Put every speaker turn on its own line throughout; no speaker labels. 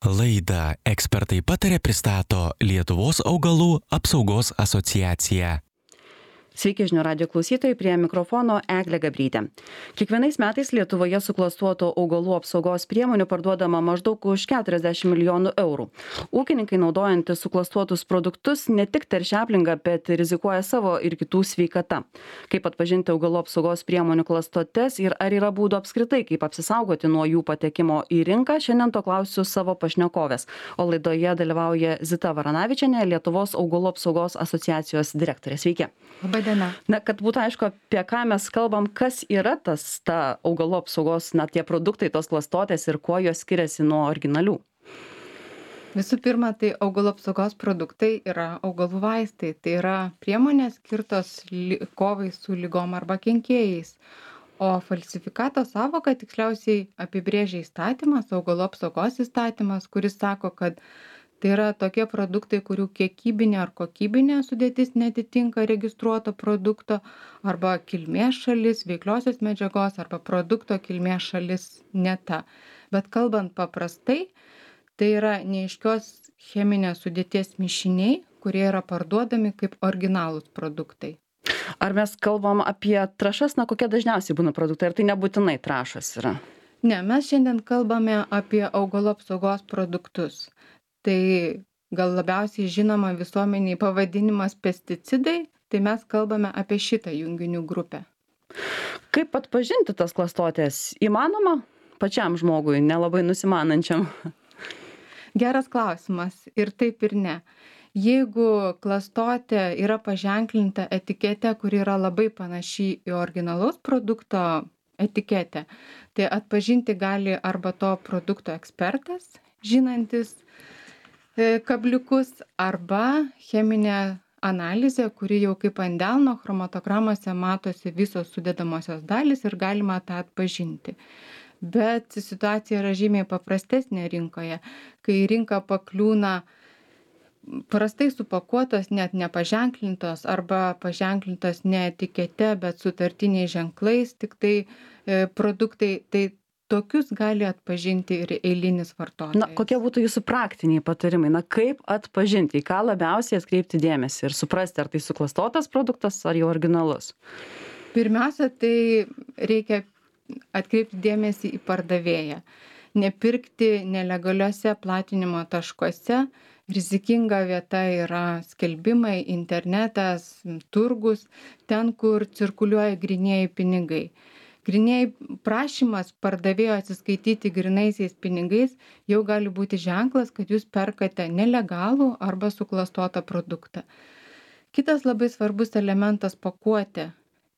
Laidą ekspertai patarė pristato Lietuvos augalų apsaugos asociacija.
Sveiki žinių radijo klausytojai, prie mikrofono Eglė Gabrytė. Kiekvienais metais Lietuvoje suklastotų augalų apsaugos priemonių parduodama maždaug už 40 milijonų eurų. Ūkininkai naudojantys suklastuotus produktus ne tik teršia aplinką, bet rizikuoja savo ir kitų sveikata. Kaip atpažinti augalų apsaugos priemonių klastotes ir ar yra būdų apskritai, kaip apsisaugoti nuo jų patekimo į rinką, šiandien to klausiu savo pašnekovės. O laidoje dalyvauja Zita Varanavičienė, Lietuvos augalų apsaugos asociacijos direktorė. Sveiki.
Labadiena.
Na, kad būtų aišku, apie ką mes kalbam, kas yra ta augalų apsaugos, tie produktai, tos klastotės ir kuo jos skiriasi nuo originalių.
Visų pirma, tai augalų apsaugos produktai yra augalų vaistai. Tai yra priemonės skirtos kovai su lygom arba kenkėjais. O falsifikato sąvoką tiksliausiai apibrėžia įstatymas, augalų apsaugos įstatymas, kuris sako, kad tai yra tokie produktai, kurių kiekybinė ar kokybinė sudėtis netitinka registruoto produkto arba kilmės šalis, veikliosios medžiagos arba produkto kilmės šalis ne ta. Bet kalbant paprastai, tai yra neaiškios cheminės sudėties mišiniai, kurie yra parduodami kaip originalūs produktai.
Ar mes kalbam apie trąšas, kokie dažniausiai būna produktai, ar tai nebūtinai trąšas yra?
Ne, mes šiandien kalbame apie augalų apsaugos produktus. Tai gal labiausiai žinoma visuomeniai pavadinimas pesticidai, tai mes kalbame apie šitą junginių grupę.
Kaip atpažinti tas klastotės? Įmanoma pačiam žmogui, nelabai nusimanančiam?
Geras klausimas, ir taip ir ne. Jeigu klastotė yra paženklinta etikete, kuri yra labai panaši į originalaus produkto etiketę, tai atpažinti gali arba to produkto ekspertas, žinantis kabliukus, arba cheminė analizė, kuri jau kaip ant delno chromatogramose matosi visos sudedamosios dalys ir galima tą atpažinti. Bet situacija yra žymiai paprastesnė rinkoje, kai į rinką pakliūna prastai supakuotos, net nepaženklintos arba paženklintos ne etikete, bet sutartiniais ženklais, tik tai produktai, tai tokius gali atpažinti ir eilinis vartotojas.
Kokie būtų jūsų praktiniai patarimai? Kaip atpažinti, į ką labiausiai atkreipti dėmesį ir suprasti, ar tai suklastotas produktas, ar jau originalus?
Pirmiausia, tai reikia atkreipti dėmesį į pardavėją. Nepirkti nelegaliuose platinimo taškuose. Rizikinga vieta yra skelbimai, internetas, turgus, ten, kur cirkuliuoja grynieji pinigai. Grynieji prašymas pardavėjo atsiskaityti grynaisiais pinigais jau gali būti ženklas, kad jūs perkate nelegalų arba suklastotą produktą. Kitas labai svarbus elementas - pakuotė.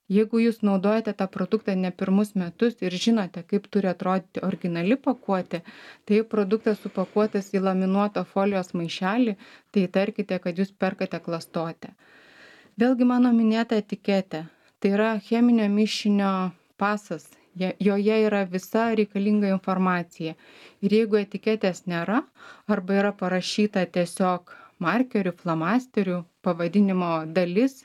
Jeigu jūs naudojate tą produktą ne pirmus metus ir žinote, kaip turi atrodyti originali pakuotė, tai produktas supakuotas į laminuotą folijos maišelį, tai įtarkite, kad jūs perkate klastotę. Vėlgi mano minėta etiketė. Tai yra cheminio mišinio pasas. Joje yra visa reikalinga informacija. Ir jeigu etiketės nėra, arba yra parašyta tiesiog markerių, flamasterių, pavadinimo dalis,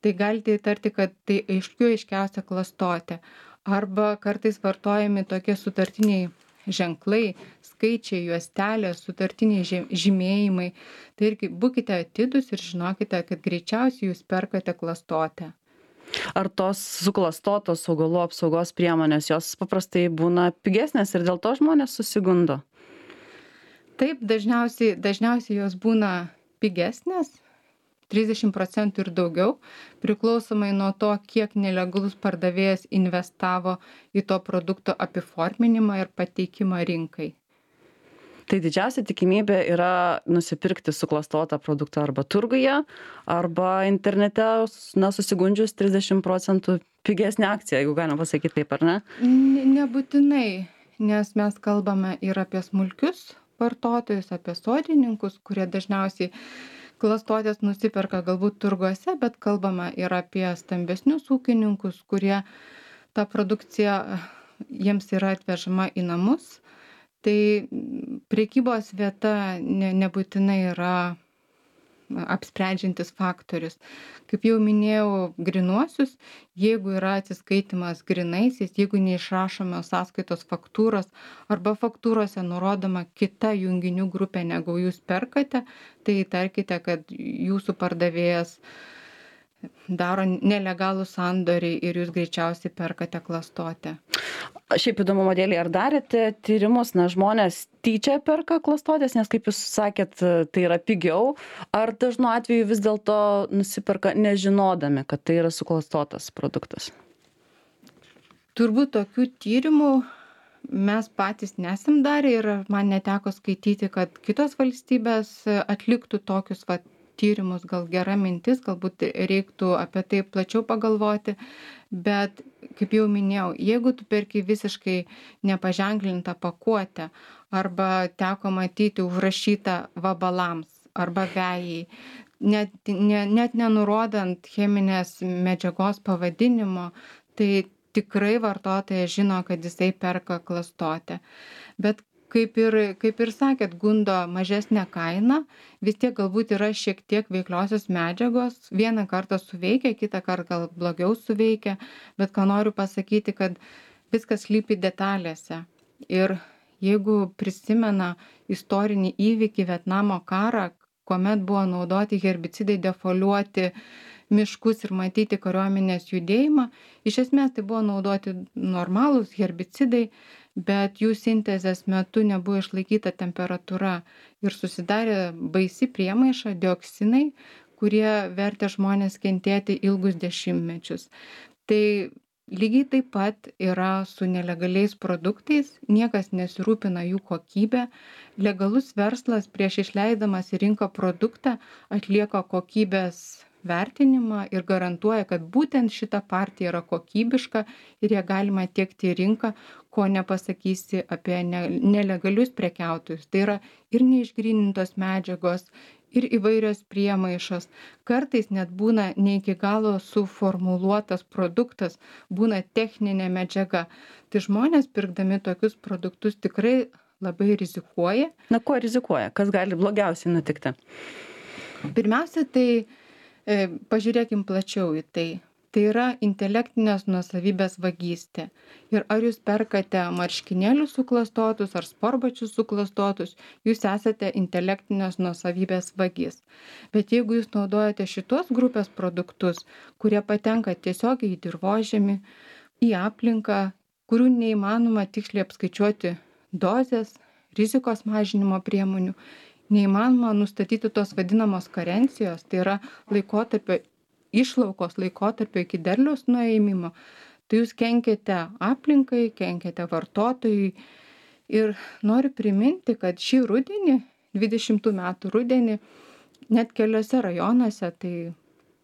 tai galite įtarti, kad tai aiškiausia klastotė. Arba kartais vartojami tokie sutartiniai ženklai, skaičiai, juostelės, sutartiniai žymėjimai. Tai irgi būkite atidūs ir žinokite, kad greičiausiai jūs perkate klastotę.
Ar tos suklastotos augalų apsaugos priemonės, jos paprastai būna pigesnės ir dėl to žmonės susigundo?
Taip, dažniausiai jos būna pigesnės, 30% ir daugiau, priklausomai nuo to, kiek nelegalus pardavėjas investavo į to produkto apiforminimą ir pateikimą rinkai.
Tai didžiausia tikimybė yra nusipirkti suklastotą produktą arba turguje, arba internete, susigundžius 30% pigesnė akcija, jeigu galima pasakyti taip, ar ne?
Nebūtinai, nes mes kalbame ir apie smulkius vartotojus, apie sodininkus, kurie dažniausiai klastotės nusiperka galbūt turguose, bet kalbame ir apie stambesnius ūkininkus, kurie ta produkcija jiems yra atvežama į namus. Tai prekybos vieta nebūtinai yra apsprendžiantis faktorius. Kaip jau minėjau, grynuosius, jeigu yra atsiskaitimas grynaisiais, jeigu neišrašome sąskaitos faktūros arba faktūrose nurodoma kita junginių grupė, negu jūs perkate, tai įtarkite, kad jūsų pardavėjas daro nelegalų sandorį ir jūs greičiausiai perkate klastotę.
Šiaip įdomumo dėlei, ar darėte tyrimus, žmonės tyčia perka klastotės, nes kaip jūs sakėt, tai yra pigiau, ar dažnu atveju vis dėlto nusiperka nežinodami, kad tai yra suklastotas produktas?
Turbūt tokių tyrimų mes patys nesam darę ir man neteko skaityti, kad kitos valstybės atliktų tokius tyrimus. Gal gera mintis, galbūt reiktų apie tai plačiau pagalvoti, bet kaip jau minėjau, jeigu tu perki visiškai nepaženklintą pakuotę arba teko matyti užrašytą vabalams arba vejai, net nenurodant cheminės medžiagos pavadinimo, tai tikrai vartotojas žino, kad jisai perka klastotę. Bet kaip ir sakėt, gundo mažesnė kaina, vis tiek galbūt yra šiek tiek veikliosios medžiagos, vieną kartą suveikia, kitą kartą gal blogiau suveikia, bet ką noriu pasakyti, kad viskas slypi detalėse. Ir jeigu prisimena istorinį įvykį Vietnamo karą, kuomet buvo naudoti herbicidai defoliuoti miškus ir matyti kariuomenės judėjimą, iš esmės tai buvo naudoti normalūs herbicidai, bet jų sintezės metu nebuvo išlaikyta temperatūra ir susidarė baisi priemaiša, dioksinai, kurie vertė žmonės kentėti ilgus dešimtmečius. Tai lygiai taip pat yra su nelegaliais produktais, niekas nesirūpina jų kokybę. Legalus verslas prieš išleidamas į rinką produktą atlieka kokybės vertinimą ir garantuoja, kad būtent šita partija yra kokybiška ir ją galima tiekti į rinką, ko nepasakysi apie nelegalius prekiautojus. Tai yra ir neišgrynintos medžiagos, ir įvairios priemaišos. Kartais net būna ne iki galo suformuluotas produktas, būna techninė medžiaga. Tai žmonės pirkdami tokius produktus tikrai labai rizikuoja.
Kuo rizikuoja? Kas gali blogiausiai nutikti?
Pirmiausia, tai pažiūrėkim plačiau į tai. Tai yra intelektinės nuosavybės vagystė. Ir ar jūs perkate marškinėlius suklastotus ar sportbačius suklastotus, jūs esate intelektinės nuosavybės vagis. Bet jeigu jūs naudojate šitos grupės produktus, kurie patenka tiesiogiai į dirvožemį, į aplinką, kurių neįmanoma tiksliai apskaičiuoti dozės, rizikos mažinimo priemonių, neįmanoma nustatyti tos vadinamos karencijos, tai yra laikotarpio išlaukos laikotarpio iki derliaus nuėmimo, tai jūs kenkiate aplinkai, kenkiate vartotojui. Ir noriu priminti, kad šį rudenį, 20 metų rudenį, net keliose rajonuose, tai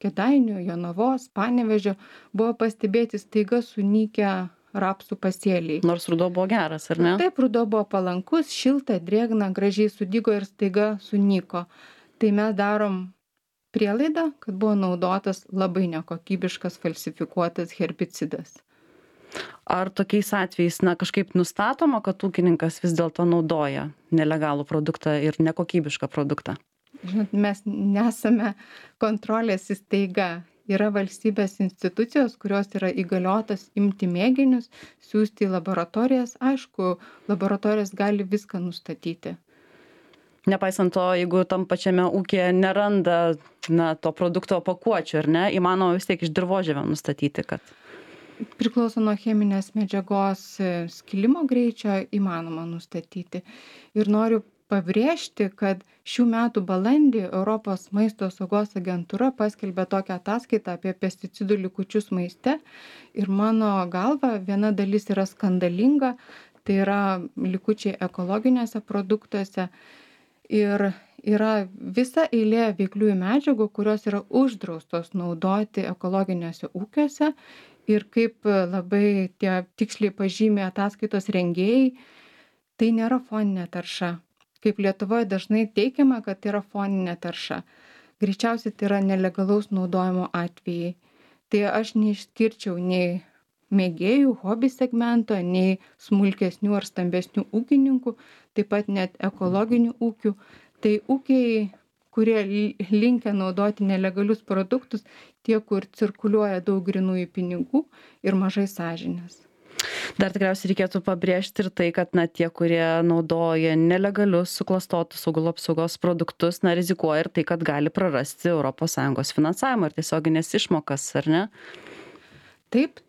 Kėdainių, Jonavos, Panevėžio, buvo pastebėti staiga sunykę rapsų pasėliai.
Nors ruduo buvo geras, ar ne?
Taip, ruduo buvo palankus, šilta, drėgna, gražiai sudygo ir staiga sunyko. Tai mes darom prielaidą, kad buvo naudotas labai nekokybiškas falsifikuotas herbicidas.
Ar tokiais atvejais kažkaip nustatoma, kad ūkininkas vis dėlto naudoja nelegalų produktą ir nekokybišką produktą?
Žinot, mes nesame kontrolės įstaiga. Yra valstybės institucijos, kurios yra įgaliotas imti mėginius, siųsti į laboratorijas. Aišku, laboratorijos gali viską nustatyti.
Nepaisant to, jeigu tam pačiame ūkyje neranda to produkto pakuočių, ar ne, įmanoma vis tiek iš dirvožemio nustatyti, kad...
Priklauso nuo cheminės medžiagos skilimo greičio, įmanoma nustatyti. Ir noriu pabrėžti, kad šių metų balandį Europos maisto saugos agentūra paskelbė tokią ataskaitą apie pesticidų likučius maiste. Ir mano galva viena dalis yra skandalinga, tai yra likučiai ekologiniuose produktuose. Ir yra visa eilė veikliųjų medžiagų, kurios yra uždraustos naudoti ekologiniuose ūkiuose. Ir kaip labai tie tiksliai pažymė ataskaitos rengėjai, tai nėra foninė tarša. Kaip Lietuvoje dažnai teikiama, kad tai yra foninė tarša. Greičiausiai tai yra nelegalaus naudojimo atvejai. Tai aš neišskirčiau nei mėgėjų, hobi segmento, nei smulkesnių ar stambesnių ūkininkų, taip pat net ekologinių ūkių. Tai ūkiai kurie linkę naudoti nelegalius produktus, tie, kur cirkuliuoja daug grynųjų pinigų ir mažai sąžinės.
Dar tikriausiai reikėtų pabrėžti ir tai, kad tie, kurie naudoja nelegalius suklastotus augalų apsaugos produktus, rizikuoja ir tai, kad gali prarasti ES finansavimą ir tiesioginės išmokas, ar ne?
Taip,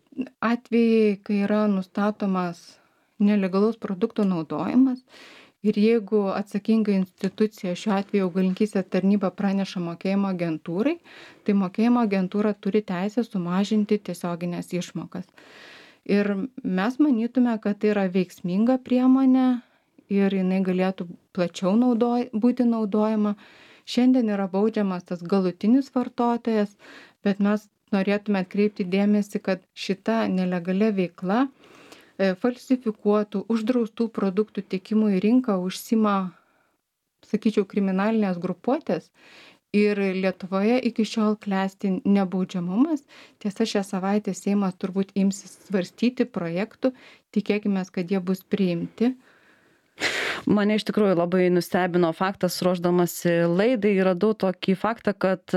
atvejai, kai yra nustatomas nelegalus produktų naudojimas ir jeigu atsakinga institucija, šiuo atveju augalininkystės tarnyba, praneša mokėjimo agentūrai, tai mokėjimo agentūra turi teisę sumažinti tiesioginės išmokas. Ir mes manytume, kad tai yra veiksminga priemonė ir jinai galėtų plačiau būti naudojama. Šiandien yra baudžiamas tas galutinis vartotojas, bet mes norėtume atkreipti dėmesį, kad šita nelegalia veikla falsifikuotų, uždraustų produktų tiekimų į rinką užsima, sakyčiau, kriminalinės grupuotės. Ir Lietuvoje iki šiol klesti nebaudžiamumas. Tiesa, šią savaitę Seimas turbūt imsis svarstyti projektų, tikėkimės, kad jie bus priimti.
Mane iš tikrųjų labai nustebino faktas, ruošdamasi laidai, radau tokį faktą, kad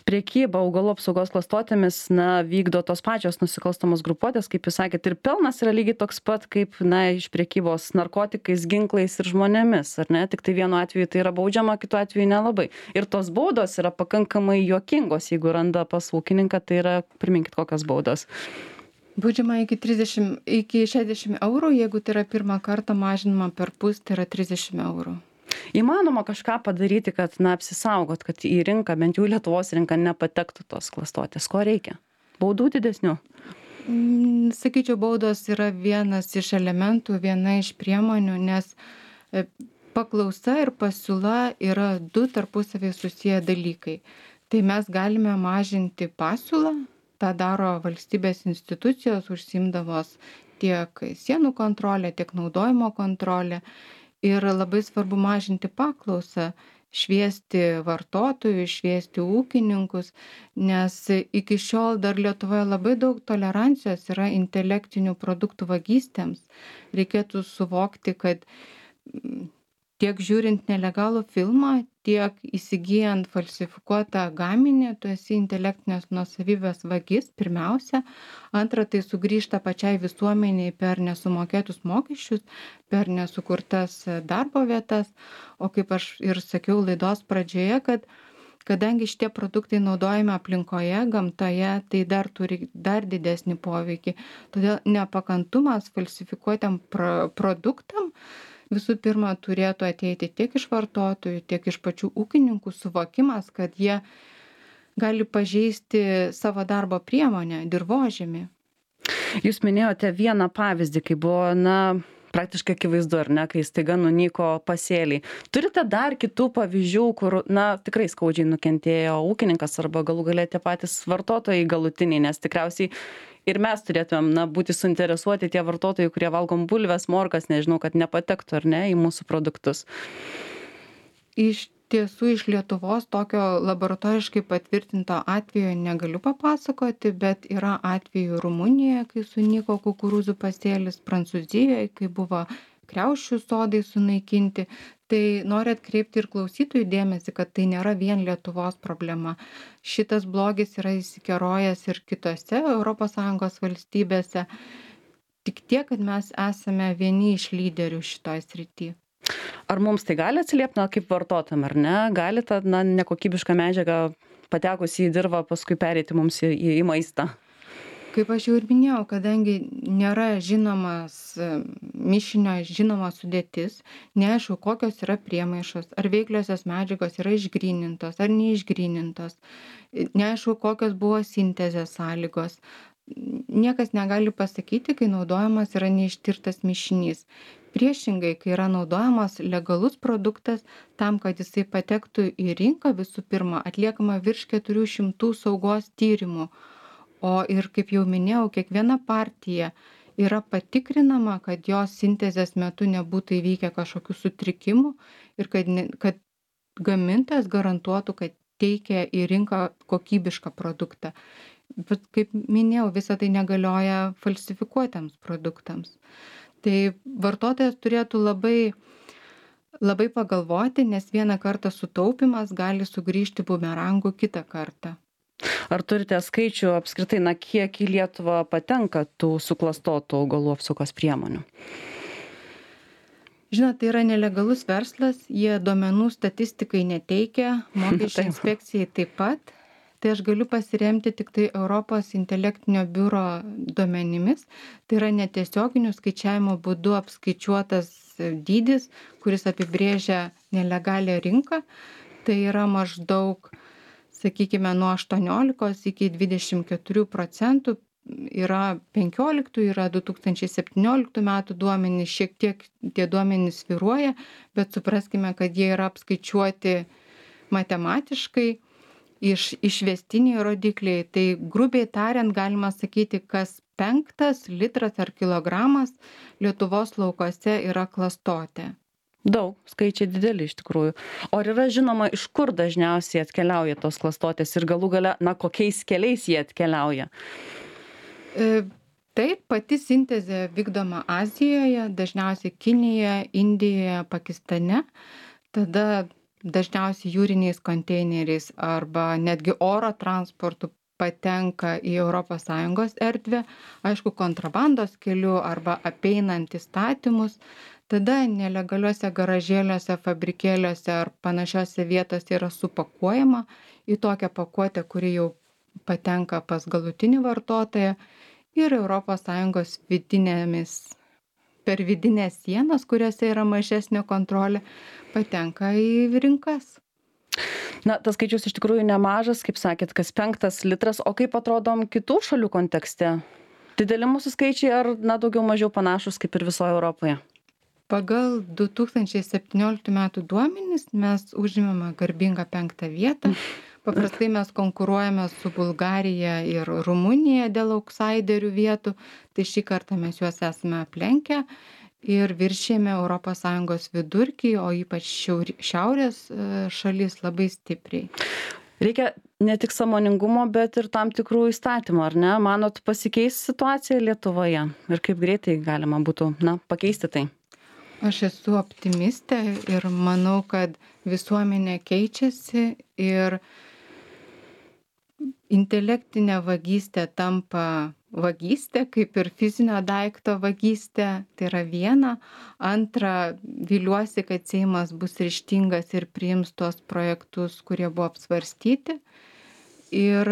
prekyba augalų apsaugos klastotėmis vykdo tos pačios nusikalstamos grupuotės, kaip jūs sakėt, ir pelnas yra lygiai toks pat, kaip iš prekybos narkotikais, ginklais ir žmonėmis, ar ne? Tik tai vienu atveju tai yra baudžiama, kitu atveju nelabai. Ir tos baudos yra pakankamai juokingos, jeigu randa pas ūkininką, tai yra, priminkit, kokios baudos.
Baudžiama iki 60 eurų, jeigu tai yra pirmą kartą, mažinama perpus, tai yra 30 eurų.
Įmanoma kažką padaryti, kad apsisaugot, kad į rinką, bent jau Lietuvos rinką, nepatektų tos klastotės. Ko reikia? Baudų didesnių?
Sakyčiau, baudos yra vienas iš elementų, viena iš priemonių, nes paklausa ir pasiūla yra du tarpusavį susiję dalykai. Tai mes galime mažinti pasiūlą. Ta daro valstybės institucijos, užsiimdamos tiek sienų kontrolę, tiek naudojimo kontrolę. Ir labai svarbu mažinti paklausą, šviesti vartotojus, šviesti ūkininkus, nes iki šiol dar Lietuvoje labai daug tolerancijos yra intelektinių produktų vagystėms. Reikėtų suvokti, kad tiek žiūrint nelegalų filmą, tiek įsigijant falsifikuotą gaminį, tu esi intelektinės nuosavybės vagis, pirmiausia. Antra, tai sugrįžta pačiai visuomeniai per nesumokėtus mokesčius, per nesukurtas darbo vietas. O kaip aš ir sakiau laidos pradžioje, kad kadangi šitie produktai naudojami aplinkoje, gamtoje, tai dar turi dar didesnį poveikį. Todėl nepakantumas falsifikuotam produktam visų pirma turėtų ateiti tiek iš vartotojų, tiek iš pačių ūkininkų suvokimas, kad jie gali pažeisti savo darbo priemonę, dirvožemį.
Jūs minėjote vieną pavyzdį, kai buvo, praktiškai akivaizdu, ar ne, kai staiga nunyko pasėliai. Turite dar kitų pavyzdžių, kur, tikrai skaudžiai nukentėjo ūkininkas arba galų gale tie patys vartotojai galutiniai, nes tikriausiai ir mes turėtumėm būti suinteresuoti tie vartotojai, kurie valgom bulves, morkas, nežinau, kad nepatektų ar ne į mūsų produktus.
Iš tiesų iš Lietuvos tokio laboratoriškai patvirtinto atvejo negaliu papasakoti, bet yra atvejų Rumunijoje, kai sunyko kukurūzų pasėlis, Prancūzijoje, kai buvo kriaušių sodai sunaikinti. Tai noriu atkreipti ir klausytojų dėmesį, kad tai nėra vien Lietuvos problema. Šitas blogis yra įsikerojęs ir kitose ES valstybėse. Tik tiek, kad mes esame vieni iš lyderių šitoj srity.
Ar mums tai gali atsiliepti, kaip vartotojam, ar ne? Gali ta nekokybiška medžiaga patekusi į dirvą paskui pereiti mums į maistą?
Kaip aš jau ir minėjau, kadangi nėra žinomas mišinio, žinoma sudėtis, neaišku, kokios yra priemaišos, ar veikliosios medžiagos yra išgrynintos ar neišgrynintos, neaišku, kokios buvo sintezės sąlygos. Niekas negali pasakyti, kai naudojamas yra neištirtas mišinys. Priešingai, kai yra naudojamas legalus produktas, tam, kad jisai patektų į rinką, visų pirma, atliekama virš 400 saugos tyrimų. O ir, kaip jau minėjau, kiekviena partija yra patikrinama, kad jos sintezės metu nebūtų įvykę kažkokių sutrikimų ir kad gamintojas garantuotų, kad teikia į rinką kokybišką produktą. Bet, kaip minėjau, visa tai negalioja falsifikuotiems produktams. Tai vartotojas turėtų labai Labai pagalvoti, nes vieną kartą sutaupimas gali sugrįžti bumerangu kitą kartą.
Ar turite skaičių apskritai, kiek į Lietuvą patenka tų suklastotų augalų apsaugos priemonių?
Žinot, tai yra nelegalus verslas, jie duomenų statistikai neteikia, mokesčių inspekcijai taip pat. Tai aš galiu pasiremti tik tai Europos intelektinio biuro duomenimis. Tai yra netiesioginių skaičiavimo būdu apskaičiuotas dydis, kuris apibrėžia nelegalią rinką. Tai yra maždaug, sakykime, nuo 18 iki 24%. Yra 15, yra 2017 metų duomenys, šiek tiek tie duomenys svyruoja, bet supraskime, kad jie yra apskaičiuoti matematiškai, išvestiniai rodikliai. Tai grubiai tariant galima sakyti, kas 5 litras ar kilogramas Lietuvos laukuose yra klastotė.
Daug, skaičiai dideli iš tikrųjų. O ar yra žinoma, iš kur dažniausiai atkeliauja tos klastotės ir galų gale, kokiais keliais jie atkeliauja?
Taip, pati sintezė vykdoma Azijoje, dažniausiai Kinijoje, Indijoje, Pakistane. Tada dažniausiai jūriniais konteineriais arba netgi oro transportu patenka į ES erdvę, aišku, kontrabandos keliu arba apeinant įstatymus. Tada nelegaliuose garažėliuose, fabrikėliuose ar panašiose vietose yra supakuojama į tokią pakuotę, kuri jau patenka pas galutinį vartotoją ir ES per vidinės sienas, kuriuose yra mažesnė kontrolė, patenka į rinkas.
Tas skaičius iš tikrųjų nemažas, kaip sakėt, kas 5 litras, o kaip atrodom kitų šalių kontekste? Dideli mūsų skaičiai ar daugiau mažiau panašus kaip ir visoje Europoje?
Pagal 2017 metų duomenis mes užimame garbingą 5 vietą. Paprastai mes konkuruojame su Bulgarija ir Rumunija dėl autsaiderių vietų, tai šį kartą mes juos esame aplenkę ir viršėjame ES vidurkį, o ypač šiaurės šalis labai stipriai.
Reikia ne tik sąmoningumo, bet ir tam tikrų įstatymų, ar ne? Manot, pasikeis situacija Lietuvoje ir kaip greitai galima būtų pakeisti tai?
Aš esu optimistė ir manau, kad visuomenė keičiasi ir intelektinė vagystė tampa vagystė, kaip ir fizinio daikto vagystė. Tai yra viena. Antra, viliuosi, kad Seimas bus ryžtingas ir priims tuos projektus, kurie buvo apsvarstyti. Ir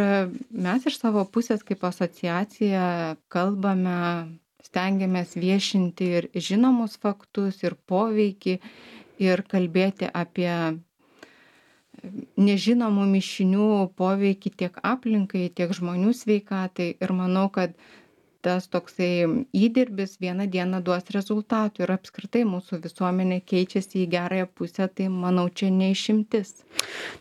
mes iš savo pusės kaip asociacija kalbame, stengiamės viešinti ir žinomus faktus, ir poveikį, ir kalbėti apie nežinomų mišinių poveikį tiek aplinkai, tiek žmonių sveikatai. Ir manau, kad tas toksai įdirbis vieną dieną duos rezultatų ir apskritai mūsų visuomenė keičiasi į gerąją pusę, tai manau, čia neišimtis.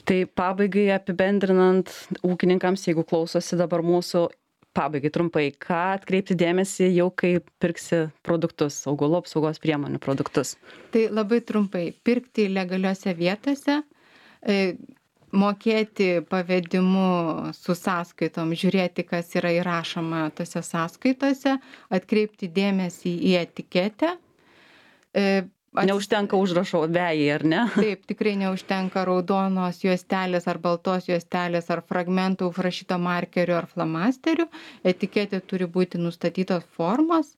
Tai pabaigai apibendrinant ūkininkams, jeigu klausosi dabar mūsų, pabaigai trumpai, ką atkreipti dėmesį jau kai pirksi produktus, augalų apsaugos priemonių produktus?
Tai labai trumpai, pirkti legaliuose vietose, mokėti pavedimu su sąskaitom, žiūrėti, kas yra įrašoma tose sąskaitose, atkreipti dėmesį į etiketę.
Neužtenka užrašo vejai, ar ne?
Taip, tikrai neužtenka raudonos juostelės ar baltos juostelės ar fragmentų užrašyto markeriu ar flamasteriu. Etiketė turi būti nustatytos formos.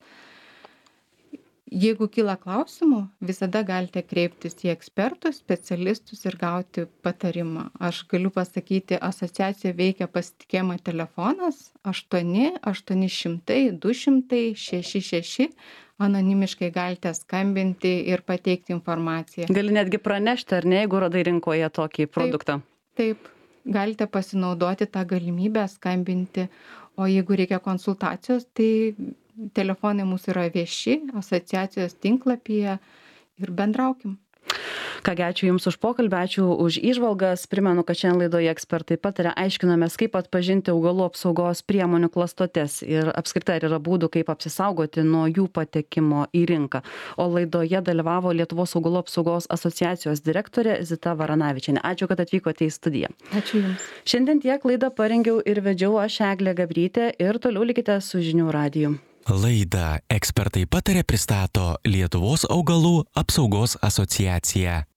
Jeigu kyla klausimų, visada galite kreiptis į ekspertus, specialistus ir gauti patarimą. Aš galiu pasakyti, asociacija veikia pasitikėjimo telefonas 8-800-200-66. Anonimiškai galite skambinti ir pateikti informaciją.
Gali netgi pranešti, ar ne, jeigu radai rinkoje tokį produktą?
Taip, galite pasinaudoti tą galimybę skambinti, o jeigu reikia konsultacijos, tai telefonai mūsų yra vieši, asociacijos tinklapyje ir bendraukim.
Kągi, ačiū Jums už pokalbį, ačiū už įžvalgas. Primenu, kad šiandien laidoje ekspertai pataria, aiškinamės, kaip atpažinti augalų apsaugos priemonių klastotes ir apskritai yra būdų, kaip apsisaugoti nuo jų patekimo į rinką. O laidoje dalyvavo Lietuvos augalų apsaugos asociacijos direktorė Zita Varanavičienė. Ačiū, kad atvykote į studiją.
Ačiū Jums.
Šiandien tiek laidą parengiau ir vedžiau aš, Eglė Gabrytė, ir toliau likite su Žinių radiju.
Laidą Ekspertai pataria pristato Lietuvos augalų apsaugos asociacija.